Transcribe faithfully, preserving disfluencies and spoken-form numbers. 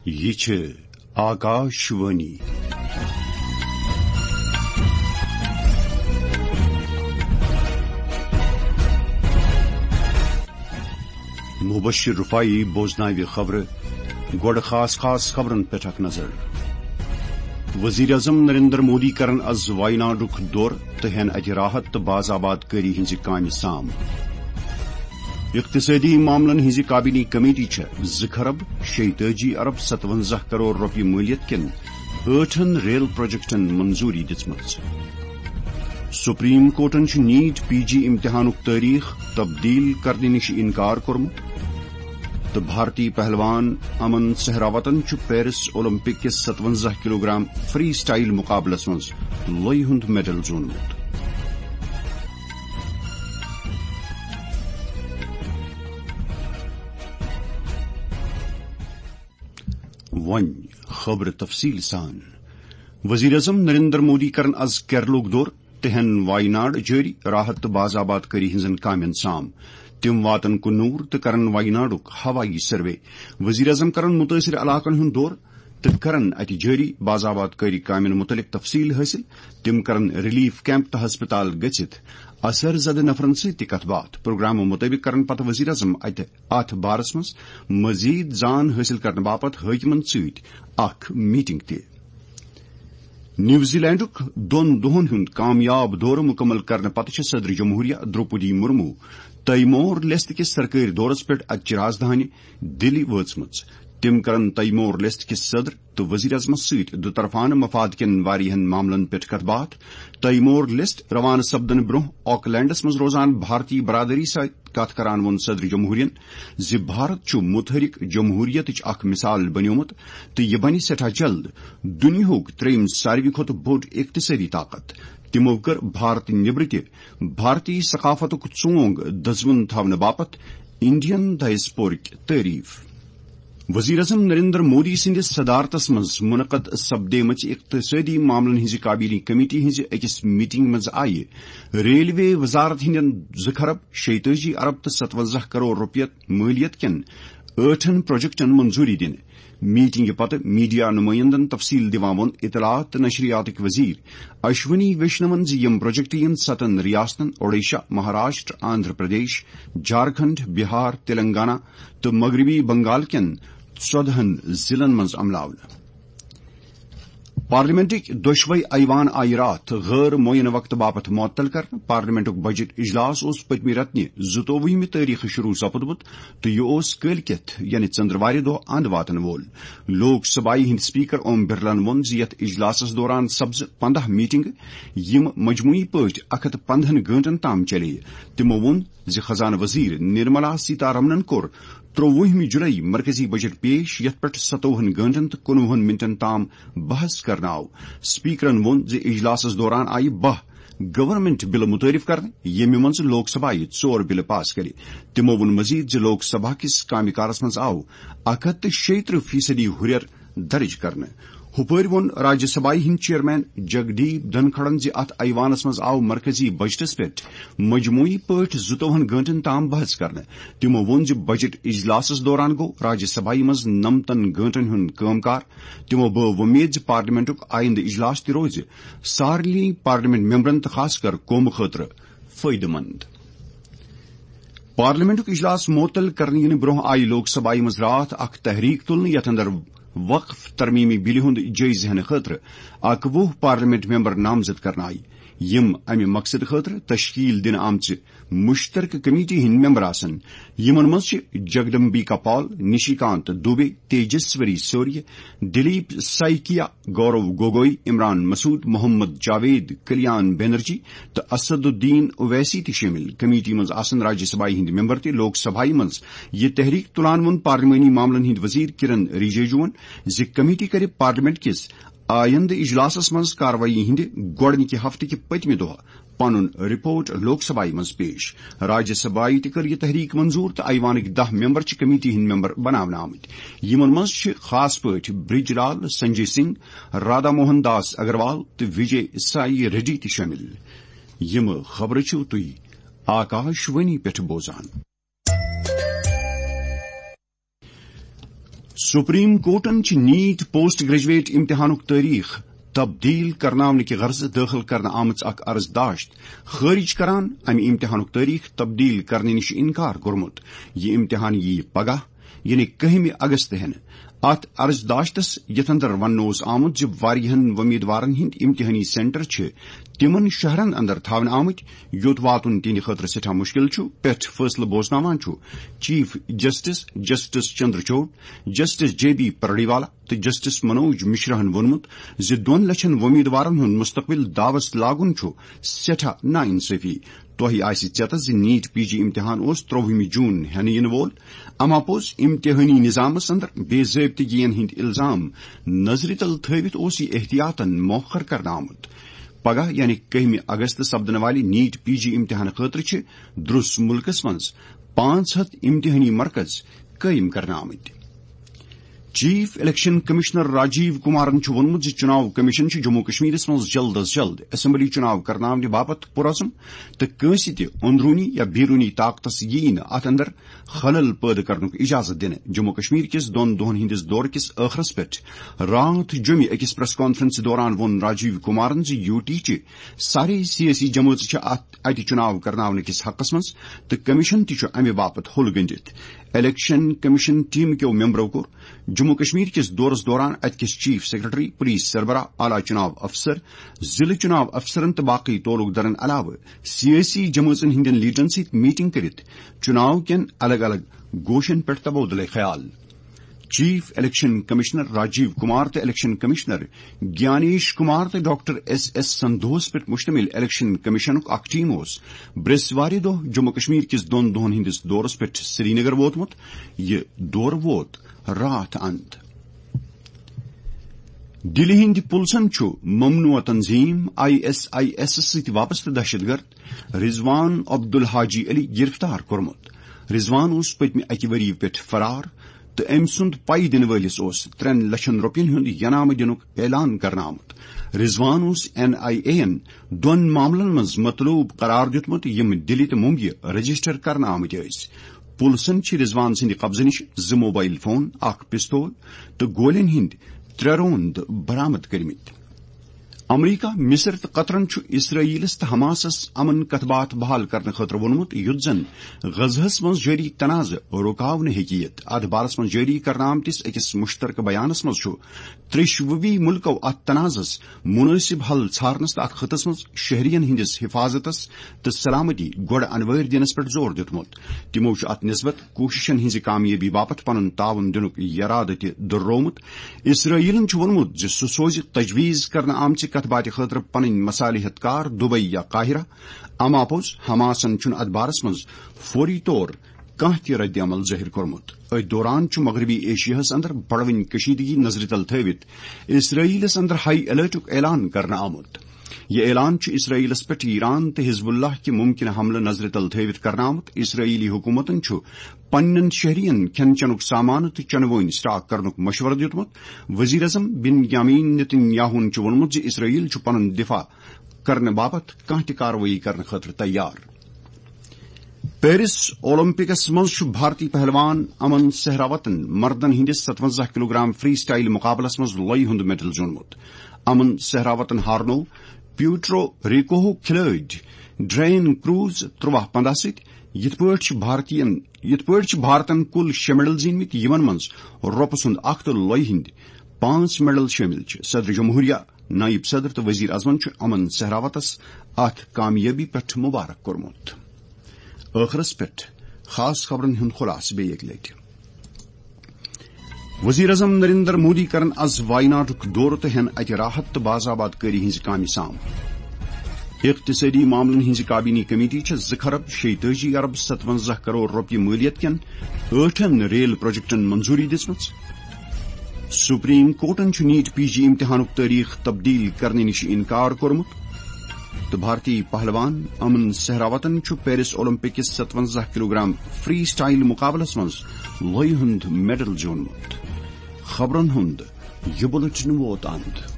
یہِ چھِ آکاشوانی۔ مبشر رفاعی بوزناوِ خبرٕ۔ گۄڈٕ خاص خاص خبرن پٮ۪ٹھ اکھ نظر۔ وزیر اعظم نریندر مودی کرن از وایناڈُک دورٕ تہٕ ہٮ۪ن اتہِ راحت تہٕ باز آباد کٲری ہٕنٛزِ کامہِ سام۔ اقتصٲدی معاملن ہٕنٛزِ کابینی کمیٹی چھےٚ زٕ خرب شیٚیہِ تٲجی ارب ستونزہ کرور رۄپیہِ مٲلیت کٮ۪ن ٲٹھن ریل پروجیکٹن منظوٗری دِژمٕژ۔ سپریم کورٹن چھُ نیٹ پی جی امتحانُک تٲریخ تبدیل کرنہٕ نِش انکار کوٚرمُت۔ تہٕ بھارتی پہلوان امن سہراوتن چھُ پیرس اولمپک کِس ستونزہ کلوگرام فری سٹائل مقابلس منٛز لویہِ ہُنٛد میڈل زیوٗنمُت۔ وۄنۍ خبرٕ تفصیل سان۔ وزیر اعظم نریندر مودی کرن از کیرلُک دورٕ تہٕ ہٮ۪ن وایناڈ جٲری راحت تہٕ باز آباد کٲری ہٕنٛزن کامٮ۪ن سام۔ تِم واتن کُنوٗر تہٕ کرن وایناڈُک ہوٲیی سروے۔ وزیر اعظم کرن مُتٲثِر علاقن ہُنٛد دورٕ تہٕ کرن اتہِ جٲری باز آباد کٲری کامٮ۪ن مُتعلق تفصیل حٲصِل۔ تِم کرن ریلیف کیمپ تہٕ ہسپتال گٔژھِتھ اثر زدٕ نفرن سۭتۍ تہِ کتھ باتھ۔ پروگرامہٕ مُطٲبِق کرن پتہٕ وزیر اعظم اتہِ اتھ بارس منٛز مزید زان حٲصِل کرنہٕ باپتھ حٲکمن سۭتۍ اکھ میٹنگ تہِ۔ نیوزی لینڈُک دۄن دۄہن ہُنٛد کامیاب دورٕ مُکمل کرنہٕ پتہٕ چھِ صدر جمہوریہ دروپدی مرمو تیمور لیست کِس سرکٲرۍ دورس پٮ۪ٹھ اتہِ چہِ راجدھانی دِلی وٲژمٕژ۔ تِم کرن تیمور لیست کِس صدر تہٕ وزیر اعظمس سۭتۍ دُطرفانہٕ مفاد کٮ۪ن واریاہن معاملن پٮ۪ٹھ کتھ باتھ۔ تیمور لیست روانہٕ سپدنہٕ برونٛہہ آکلینڈس منٛز روزان بھارتی برادری سۭتۍ کتھ کران ووٚن صدر جمہوریہن زِ بھارت چھُ متحرک جمہوریتٕچ اکھ مثال بنیومُت تہٕ یہِ بنہِ سٮ۪ٹھاہ جلد دُنیاہُک ترٛیٚیِم ساروی کھۄتہٕ بوٚڑ اقتصٲدی طاقت۔ تِمو کٔر بھارت نیبرٕ تہِ بھارتی ثقافتُک ژونگ دزوُن تھاونہٕ باپتھ انڈین ڈائسپورٕچ تعریف۔ وزیر اعظم نریندر مودی سٕنٛدِس صدارتس منٛز منعقد سپدیمٕژ اقتصٲدی معاملن ہٕنٛزِ کابینی کمیٹی ہٕنٛزِ أکِس میٹنگ منٛز آیہِ ریلوے وزارت ہٕنٛدٮ۪ن زٕ خرب شیٚیہِ تٲجی ارب تہٕ ستونزہ کرور رۄپیہِ مٲلیت کٮ۪ن ٲٹھن پروجیکٹن منظوٗری دِنہٕ۔ میٹنگہِ پتہٕ میڈیا نمائندن تفصیل دِوان ووٚن اطلاعات تہٕ نشریاتٕکۍ وزیر اشونی ویشنون زِ یِم پروجیکٹ یِن ستن ریاستن اوڈیشہ، مہاراشٹر، آندھرا پردیش، جھارکھنڈ، بہار، تلنگانہ تہٕ مغربی بنگال کٮ۪ن ژۄدہن ضلعن منٛز عملاونہٕ۔ پارلیمنٹٕکۍ دۄشوے ایوان آیہِ راتھ غٲر معینہ وقتہٕ باپتھ معطل کرنہٕ۔ پارلیمنٹُک بجٹ اجلاس اوس پٔتمہِ رٮ۪تہٕ نہِ زٕتووُہمہِ تٲریخہٕ شروع سپدمُت تہٕ یہِ اوس کٲلۍ کٮ۪تھ یعنی ژٔنٛدٕروارِ دۄہ اند واتن وول۔ لوک سبھایہِ ہٕنٛدۍ سپیکر اوم برلن ووٚن زِ یتھ اجلاسس دوران سپزٕ پنداہ میٹنگہٕ، یِم مجموعی پٲٹھۍ اکھ ہتھ پندہن گٲنٹن تام چلے۔ تِمو ووٚن زِ خزانہٕ وزیر نرملا سیتارمنن کوٚر ترٛووُہمہِ جُلای مرکزی بجٹ پیش، یتھ پٮ۪ٹھ ستووُہن گٲنٹن تہٕ کُنوُہن منٹن تام بحث کرنہٕ آو۔ سپیکرن ووٚن زِ اجلاسس دوران آیہِ باہ گورنمنٹ بلہٕ متعارف کرنہٕ، ییٚمہِ منٛز لوک سبھایہِ ژور بلہٕ پاس کرِ۔ تِمو ووٚن مزید زِ لوک سبھا کِس کامہِ کارس منٛز آو اکھ ہتھ تہٕ شیٚیہِ ترٕٛہ فیصدی ہُرٮ۪ر درج کرنہٕ۔ ہُپٲرۍ ووٚن راجیہ سبھایہِ ہٕنٛدۍ چیئرمین جگدیپ دھنکھڑن زِ اتھ ایوانس منٛز آو مرکزی بجٹس پٮ۪ٹھ مجموعی پٲٹھۍ زٕتووُہن گٲنٹن تام بحث کرنہٕ۔ تِمو ووٚن زِ بجٹ اجلاسس دوران گوٚو راجیہ سبھایہِ منٛز نمتن گٲنٹن ہُنٛد کٲم کار۔ تِمو بٲو وۄمید زِ پارلیمنٹُک آیندٕ اجلاس تہِ روزِ سارنٕے پارلیمنٹ ممبرن تہٕ خاص کر قومہٕ خٲطرٕ فٲیدٕ مند۔ پارلیمنٹُک اجلاس معطل کرنہٕ یِنہٕ برونٛہہ آیہِ لوک سبھایہِ منٛز راتھ اکھ تحریک تُلنہٕ، یتھ اندر وقف ترمیمی بلہِ ہُنٛد جٲیزٕ ہٮ۪نہٕ خٲطرٕ اکوُہ پارلیمنٹ ممبر نامزد کرنہٕ آیہِ، یِم امہِ مقصدٕ خٲطرٕ تشکیل دِنہٕ آمژٕ مشترکہ کمیٹی ہٕنٛدۍ ممبر آسن۔ یِمن منٛز چھِ جگدمبیکا پال، نشیکانت دوبے، تیجسوری سوریہ، دلیپ سائکیا، گورو گوگوئی، عمران مسعود، محمد جاوید، کلیان بنرجی تہٕ اسد الدین اویسی تہِ شٲمِل۔ کمیٹی منٛز آسن راجیہ سبھایہِ ہٕنٛدۍ ممبر تہِ۔ لوک سبھایہِ منٛز یہِ تحریک تُلان ووٚن پارلیمانی معاملن ہٕنٛدۍ وزیر کرن رجیجوَن زِ کمیٹی کرِ پارلیمنٹ کِس آیندٕ اجلاسس منٛز کاروٲیی ہٕنٛدِ گۄڈٕنِکہِ ہفتہٕ کہِ پٔتمہِ دۄہ پنُن رپورٹ لوک سبھایہ منٛز پیش۔ راجیہ سبھایہ تہِ کٔر یہِ تحریک منظور تہٕ ایوانٕکۍ دَہ ممبر چھِ کمیٹی ہٕنٛدۍ ممبر بناونہٕ آمٕتۍ۔ یِمن منٛز چھِ خاص پٲٹھۍ برج لال، سنجے سنگھ، رادھا موہن داس اگروال تہٕ وجے سائی ریڈی تہِ شٲمِل۔ یِم خبرٕ چھِو تُہۍ آکاش وانی پٮ۪ٹھ بوزان۔ سپریم کورٹن چھِ نیٹ پوسٹ گریجویٹ امتحانُک تٲریخ تبدیل کرناونہٕ کہِ غرضہٕ دٲخل کرنہٕ آمٕژ اکھ عرض داشت خٲرج کران امہِ امتحانُک تٲریخ تبدیل کرنہٕ نِش انکار کوٚرمُت۔ یہِ امتحان یِیہِ پگاہ، یعنی کٔہمہِ اگست ہٮ۪نہٕ۔ اتھ عرض داشتس، یتھ اندر وننہٕ اوس آمُت زِ واریاہن وۄمیدوارن ہٕنٛدۍ امتحٲنی سینٹر چھِ تِمن شہرن اندر تھاونہٕ آمٕتۍ، یوٚت واتُن تِہنٛدِ خٲطرٕ سٮ۪ٹھاہ مُشکل چھُ، پٮ۪ٹھ فٲصلہٕ بوزناوان چھُ chief justice, justice Chandrachud, justice J B Pardiwala تہٕ جسٹس منوج مشراہن ووٚنمُت زِ دۄن لچھن وۄمیدوارن ہُنٛد مستقبل داوس لاگُن چھُ سٮ۪ٹھاہ ناانصٲفی۔ تۄہہِ آسہِ ژیتس زِ نیٹ پی جی امتحان اوس ترٛوہمہِ جون ہٮ۪نہٕ یِنہٕ وول۔ اما پوٚز، امتحٲنی نظامس اندر بے ضٲبطگین ہٕنٛدۍ الزام نظرِ تل تھٲوِتھ اوس یہِ احتیاطن مؤخر کرنہٕ آمُت۔ پگاہ، یعنی کٔہمہِ اگست سپدن والہِ نیٹ پی جی امتحان خٲطرٕ چھِ درُس مُلکس منٛز پانٛژھ ہتھ امتحٲنی مرکز قٲیِم کرنہٕ آمٕتۍ۔ Chief election commissioner Rajiv Kumaran چھُ ووٚنمُت زِ چُناو کمیشن چھُ جموں کشمیرس منٛز جلد از جلد اسمبلی چُناو کرناونہٕ باپتھ پُرعزم تہٕ کٲنٛسہِ تہِ اندروٗنی یا بیروٗنی طاقتس یِیہِ نہٕ اتھ اندر خلل پٲدٕ کرنُک اجازت دِنہٕ۔ جموں کشمیر کِس دۄن دۄہن ہٕنٛدِس دورٕ کِس ٲخرس پٮ۪ٹھ راتھ جوٚمہِ أکِس پریس کانفرنس دوران ووٚن راجیو کمارن زِ یو ٹی چہِ سارے سیٲسی جمٲژٕ چھِ اتھ اتہِ چُناو کرناونہٕ کِس حقس منٛز تہٕ کمیشن تہِ چھُ امہِ باپتھ ہوٚل گٔنٛڈِتھ۔ الیکشن کمیشن ٹیم کیو ممبرو کوٚر جموں کشمیر کِس دورس دوران اتہِ کِس چیف سیکرٹری، پولیس سربراہ، اعلیٰ چُناو افسر، ضلعہٕ چُناو افسرن تہٕ باقی تعلق دارن علاوٕ سیٲسی جمٲژن ہٕنٛدٮ۪ن لیڈرن سۭتۍ میٹنگ کٔرِتھ چُناو کٮ۪ن الگ الگ گوشن پٮ۪ٹھ تبادلہٕ خیال۔ Chief election commissioner Rajiv Kumar تہٕ الیکشن کمشنر گیانیش کمار تہٕ ڈاکٹر ایس ایس سندھوہس پٮ۪ٹھ مشتمل الیکشن کمیشنُک اکھ ٹیم اوس برٛیسوارِ دۄہ جموں کشمیر کِس دۄن دۄہن ہٕنٛدِس دورس پٮ۪ٹھ سرینگر ووتمُت۔ یہِ دورٕ ووت راتھ اند۔ دِلہِ ہٕنٛدِ پُلسن چھُ ممنوع تنظیم آئی ایس آئی ایسس سۭتۍ وابستہٕ دہشت گرد رضوان عبدالحاجی علی گرفتار کوٚرمُت۔ رضوان اوس پٔتمہِ اکہِ ؤری پٮ۪ٹھ فرار تہٕ أمۍ سُنٛد پَے دِنہٕ وٲلِس اوس ترٛٮ۪ن لچھن رۄپین ہُنٛد ینامہٕ دِنُک اعلان کرنہٕ آمُت۔ رضوان اوس این آئی اے یَن دۄن معاملن منٛز مطلوب قرار دیُتمُت، یِم دِلہِ تہٕ ممبیہِ رجسٹر کرنہٕ آمٕتۍ ٲسۍ۔ پُلسن چھِ رضوان سٕنٛدِ قبضہٕ نِش زٕ موبائل فون، اکھ پستول تہٕ گولٮ۪ن ہٕنٛدۍ ترٛےٚ روند برآمد کٔرمٕتۍ۔ امریکہ، مصر تہٕ قطرن چھُ اسرائیلس تہٕ حماسس امن کتھ باتھ بحال کرنہٕ خٲطرٕ ووٚنمُت، یُتھ زن غزہس منٛز جٲری تنازٕ رُکاونہٕ ہیٚکہِ یِتھ۔ اتھ بارس منٛز جٲری کرنہٕ آمتِس أکِس مشترکہٕ بیانس منٛز چھُ ترٛیٚشوٕے مُلکو اتھ تنازس مناسب حل ژھارنس تہٕ اتھ خطس منٛز شہرین ہٕنٛدِس حفاظتس تہٕ سلامتی گۄڈٕ انوٲرۍ دِنس پٮ۪ٹھ زور دیُتمُت۔ تِمو چھُ اتھ نسبت کوٗششن ہٕنٛزِ کامیٲبی باپتھ پنُن تعاوُن دِنُک یرادٕ تہِ دۄہرومُت۔ اسرائیلن چھُ ووٚنمُت زِ سُہ سوزِ تجویز کرنہٕ آمژِ کتھ باتھِ خٲطرٕ پنٕنۍ مصالحت کار دبئی یا قاہرہ۔ اما پوٚز، حماسن چھُنہٕ اتھ بارس منٛز فوری طور کانٛہہ تہِ رد عمل ظٲہِر کوٚرمُت۔ أتھۍ دوران چھُ مغربی ایشیاہس اندر بڑوٕنۍ کشیدگی نظرِ تل تھٲوِتھ اسرائیلس اندر ہائی الرٹُک اعلان کرنہٕ آمُت۔ یہِ اعلان چھُ اسرائیلس پٮ۪ٹھ ایران تہٕ حزب اللہ کہِ ممکنہ حملہٕ نظرِ تل تھٲوِتھ کرنہٕ آمُت۔ اسرائیلی حکومتن چھُ پننٮ۪ن شہرین کھٮ۪ن چٮ۪نُک سامان تہٕ چنہٕ وٲنۍ سٹاک کرنُک مشورٕ دیُتمُت۔ وزیر اعظم بنیامین نتن یاہون چھُ ووٚنمُت زِ اسرائیل چھُ پنُن دفاع کرنہٕ باپتھ کانٛہہ تہِ کاروٲیی کرنہٕ خٲطرٕ تیار۔ پیرس اولمپکس منٛز چھُ بھارتی پہلوان امن سہراوتن مردن ہٕنٛدِس ستونزہ کلوگرام فری سٹائل مقابلس منٛز لۄیہِ ہُنٛد میڈل زیوٗنمُت۔ امن سہراوتن ہارنوو پیوٹرو ریکوہُک کھلٲڑۍ ڈرین کروز ترٛواہ پنداہ سۭتۍ۔ یِتھ پٲٹھۍ چھِ بھارتین، یِتھ پٲٹھۍ چھِ بھارتن کُل شےٚ میڈل زیٖنمٕتۍ، یِمن منٛز رۄپہٕ سُنٛد اکھ تہٕ لۄیہِ ہٕنٛدۍ پانٛژھ میڈل شٲمِل چھِ۔ صدر جمہوریہ، نائب صدر تہٕ وزیر اعظمن چھُ امن سہراوتس اتھ کامیٲبی پٮ۪ٹھ مبارک کوٚرمُت۔ ٲخرس پٮ۪ٹھ خاص خبرن ہُنٛد خلاصہٕ بیٚیہِ اکہِ لٹہِ۔ وزیر اعظم نریندر مودی کرن از وایناڈُک دورٕ تہٕ ہٮ۪ن اتہِ راحت تہٕ باز آباد کٲری ہٕنٛزِ کامہِ سام۔ اقتصٲدی معاملن ہٕنٛزِ کابینی کمیٹی چھےٚ زٕ خرب شیٚیہِ تٲجی ارب ستونزہ کرور رۄپیہِ مٲلیت کٮ۪ن ٲٹھن ریل پروجیکٹن منظوٗری دِژمٕژ۔ سپریم کورٹن چھُ نیٹ پی جی امتحانُک تٲریخ تبدیل کرنہٕ نِش انکار کوٚرمُت۔ تہٕ بھارتی پہلوان امن سہراوتن چھُ پیرس اولمپک کِس ستونزہ کلوگرام فری سٹائل مقابلس منٛز لۄیہِ ہُنٛد میڈل زیوٗنمُت۔ خبرن ہُنٛد یہِ بُلٹن ووت اند۔